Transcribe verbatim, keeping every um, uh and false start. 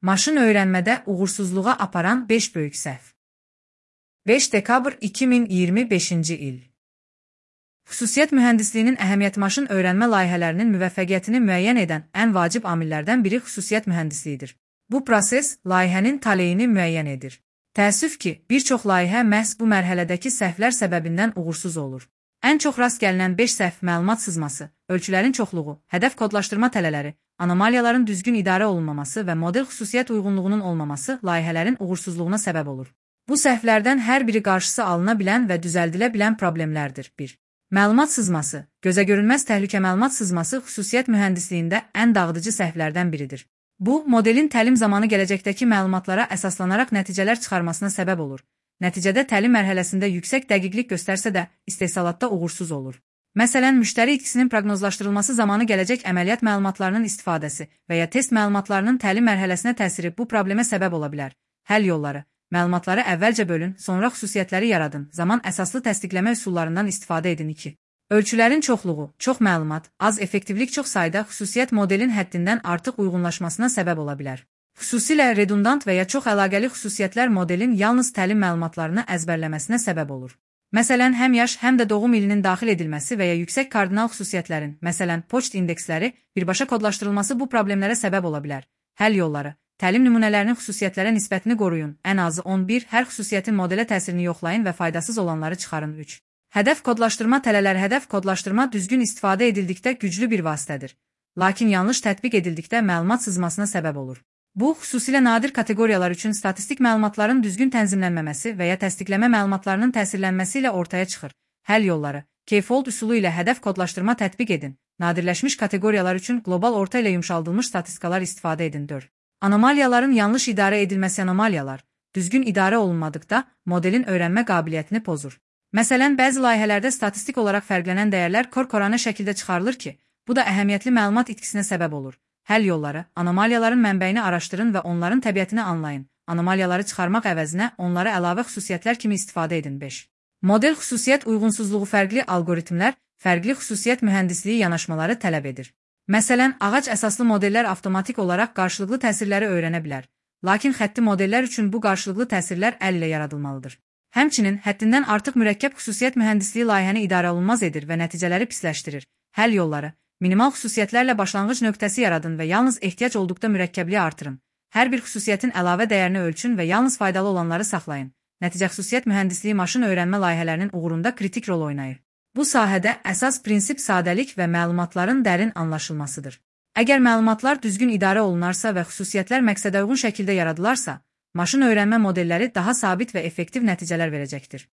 Maşın öyrənmədə uğursuzluğa aparan beş böyük səhv. beş dekabr iki min iyirmi beşinci il. Xüsusiyyət mühəndisliyinin əhəmiyyəti maşın öyrənmə layihələrinin müvəffəqiyyətini müəyyən edən ən vacib amillərdən biri xüsusiyyət mühəndisliyidir. Bu proses layihənin taleyini müəyyən edir. Təəssüf ki, bir çox layihə məhz bu mərhələdəki səhvlər səbəbindən uğursuz olur. Ən çox rast gəlinən beş səhv məlumat sızması, ölçülərin çoxluğu, hədəf kodlaşdırma tələləri, anomaliyaların düzgün idarə olunmaması və model xüsusiyyət uyğunluğunun olmaması layihələrin uğursuzluğuna səbəb olur. Bu səhvlərdən hər biri qarşısı alına bilən və düzəldilə bilən problemlərdir. bir. Məlumat sızması, gözəgörünməz təhlükə məlumat sızması xüsusiyyət mühəndisliyində ən dağıdıcı səhvlərdən biridir. Bu, modelin təlim zamanı gələcəkdəki məlumatlara əsaslanaraq nəticələr çıxarmasına səbəb olur. Nəticədə təlim mərhələsində yüksək dəqiqlik göstərsə də, istehsalatda uğursuz olur. Məsələn, müştəri itkisinin proqnozlaşdırılması zamanı gələcək əməliyyat məlumatlarının istifadəsi və ya test məlumatlarının təlim mərhələsinə təsiri bu problemə səbəb ola bilər. Həll yolları: məlumatları əvvəlcə bölün, sonra xüsusiyyətləri yaradın, zaman əsaslı təsdiqləmə üsullarından istifadə edin. iki. Ölçülərin çoxluğu, çox məlumat, az effektivlik çox sayda xüsusiyyət modelin həddindən artıq uyğunlaşmasına səbəb ola bilər. Xüsusilə redundant və ya çox əlaqəli xüsusiyyətlər modelin yalnız təlim məlumatlarını əzbərləməsinə səbəb olur. Məsələn, həm yaş, həm də doğum ilinin daxil edilməsi və ya yüksək kardinal xüsusiyyətlərin, məsələn, poçt indeksləri, birbaşa kodlaşdırılması bu problemlərə səbəb ola bilər. Həll yolları: təlim nümunələrinin xüsusiyyətlərə nisbətini qoruyun, ən azı on bir, hər xüsusiyyətin modelə təsirini yoxlayın və faydasız olanları çıxarın. üç. Hədəf kodlaşdırma tələləri. Hədəf kodlaşdırma düzgün istifadə edildikdə güclü bir vasitədir. Lakin yanlış tətbiq edildikdə məlumat sızmasına səbəb olur. Bu, xüsusilə nadir kateqoriyalar üçün statistik məlumatların düzgün tənzimlənməməsi və ya təsdiqləmə məlumatlarının təsirlənməsi ilə ortaya çıxır. Həll yolları: K-fold üsulu ilə hədəf kodlaşdırma tətbiq edin. Nadirləşmiş kateqoriyalar üçün qlobal orta ilə yumşaldılmış statistikalar istifadə edin. dörd. Anomaliyaların yanlış idarə edilməsi. Anomaliyalar düzgün idarə olunmadıqda modelin öyrənmə qabiliyyətini pozur. Məsələn, bəzi layihələrdə statistik olaraq fərqlənən dəyərlər kor-koranə şəkildə çıxarılır ki, bu da əhəmiyyətli məlumat itkisinə səbəb olur. Həll yolları: anomaliyaların mənbəyini araşdırın və onların təbiətini anlayın. Anomaliyaları çıxarmaq əvəzinə onları əlavə xüsusiyyətlər kimi istifadə edin. beş. Model xüsusiyyət uyğunsuzluğu. Fərqli alqoritmlər, fərqli xüsusiyyət mühəndisliyi yanaşmaları tələb edir. Məsələn, ağac əsaslı modellər avtomatik olaraq qarşılıqlı təsirləri öyrənə bilər. Lakin xətti modellər üçün bu qarşılıqlı təsirlər əl ilə yaradılmalıdır. Həmçinin, həddindən artıq mürəkkəb xüsusiyyət mühəndisliyi layihəni idarə olunmaz edir və nəticələri pisləşdirir. Həll yolları: minimal xüsusiyyətlərlə başlanğıc nöqtəsi yaradın və yalnız ehtiyac olduqda mürəkkəbliyi artırın. Hər bir xüsusiyyətin əlavə dəyərini ölçün və yalnız faydalı olanları saxlayın. Nəticə xüsusiyyət mühəndisliyi maşın öyrənmə layihələrinin uğurunda kritik rol oynayır. Bu sahədə əsas prinsip sadəlik və məlumatların dərin anlaşılmasıdır. Əgər məlumatlar düzgün idarə olunarsa və xüsusiyyətlər məqsədəuyğun şəkildə yaradılarsa, maşın öyrənmə modelləri daha sabit və effektiv nəticələr verəcəkdir.